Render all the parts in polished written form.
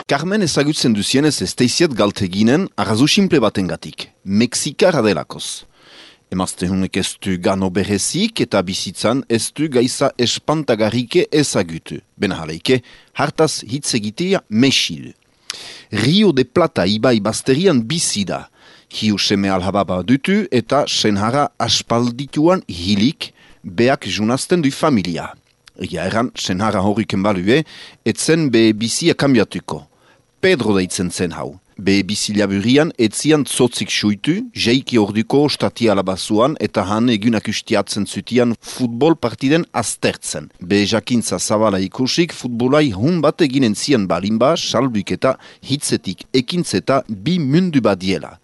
Carmen ezagutzen duzienez ez teiziet galteginen arrazu simple batengatik, Mexikara delakoz. Emazte honek ez du gano berezik eta bizitzan ez du gaiza espantagarrike ezagutu. Benahaleike, hartaz hitz egitea mesil. Rio de Plata ibai basterian bizi da. Hiu seme alhababa dutu eta senhara aspaldituan hilik beak junazten du familia. Egia erran, senhara horriken balue, etzen be bizia kambiatuko. Pedro deitzen zen hau. Be bizilaburian etzian tzotzik suitu, jeiki orduko ostati alabazuan eta han egunak ustiatzen zutian futbol partiden aztertzen. Be jakintza zabala ikusik futbolai hun bat eginen zian balimba, salbuk eta hitzetik ekintzeta bi mundu badiela.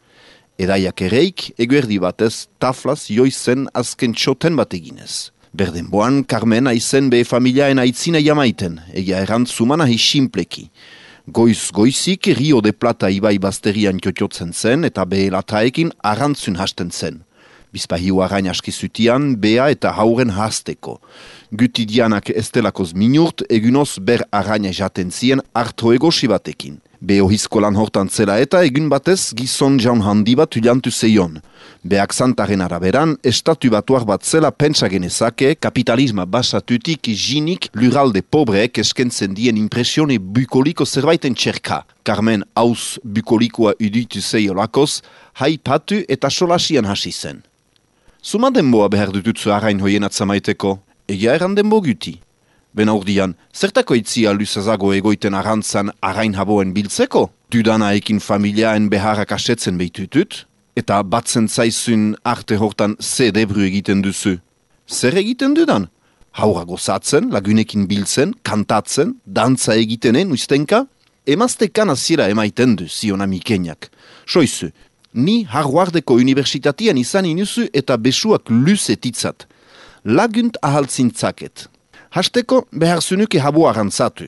Edaiak ereik, eguerdi batez, taflaz joizen azken txoten bat eginez. Berdenboan, Carmen aizen be familiaen aitzina jamaiten, egia errantzuman ahi simpleki. Goizik Rio de Plata ibai basterian txotxotzen zen eta behelataekin arrantzun hasten zen. Bizpahiu arain askizutian, bea eta hauren hasteko. Gutidianak estelakoz minurt, egunoz ber araina jaten zien harto egosi batekin. Beho hizkolan hortan zela eta egun batez gizon jaun handi bat uliantu zeion. Beak zantaren araberan, estatu batuar bat zela pentsa genezake, kapitalisma basatutik jinik luralde pobreek eskentzen dien impresione bukoliko zerbaiten txerka. Carmen hauz bukolikoa uditu zeiolakoz, haipatu eta solasian hasi zen. Zuma denboa behar dututzu arain hoien atzamaiteko, egia eran denbo guti. Bena urdian, zertako itzia luzazago egoiten arantzan arain haboen biltzeko? Dudana ekin familiaen beharrak asetzen behitutut? Eta batzen zaizun arte hortan ze debru egiten duzu? Zer egiten dudan? Haura gozatzen, lagunekin biltzen, kantatzen, dantza egitenen ustenka? Emazte kanazira emaiten du, zion amikeniak. Soizu, ni Harvardeko universitatian izan inuzu eta besuak luzetitzat. Lagunt ahaltzintzaket. Hasteko behar zunuke habu arantzatu.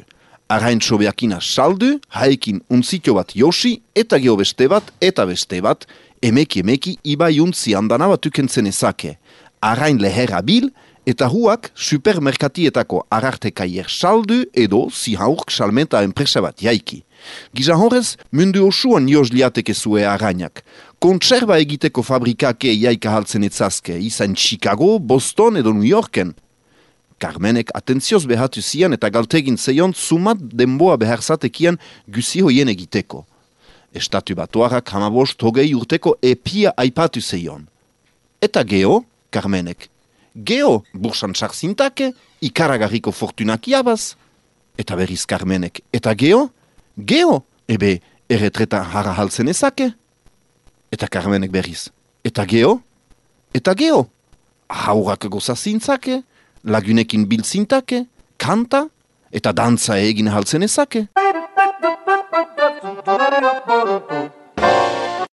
Arain sobeakina saldu, haekin untzitio bat josi, eta geho beste bat, emeki ibai untzi handana bat ukentzen ezake. Arain leherra bil, eta huak supermerkatietako arartekaier saldu edo zihaurk salmenta enpresa bat jaiki. Gizan horrez, mundu osuan joz liateke zue arainak. Kontserba egiteko fabrikake jaika haltzen etzazke, izan Chicago, Boston edo New Yorken. Carmenek atentzioz behatu zian eta galtegin zeion zumat denboa beharzatekian guzi hoien egiteko. Estatu batuarak 15-20 urteko epia aipatu zeion. Eta geho, Carmenek. Geho, bursan txarzintake, ikaragarriko fortunak jabaz. Eta berriz Carmenek. Eta geho? Geho, ebe erretreta harra haltzen ezake. Eta Carmenek berriz. Eta geho? Eta geho? Haurak gozazintzake. Lagunekin biltzintake, kanta eta dantza egin haltzen ezake.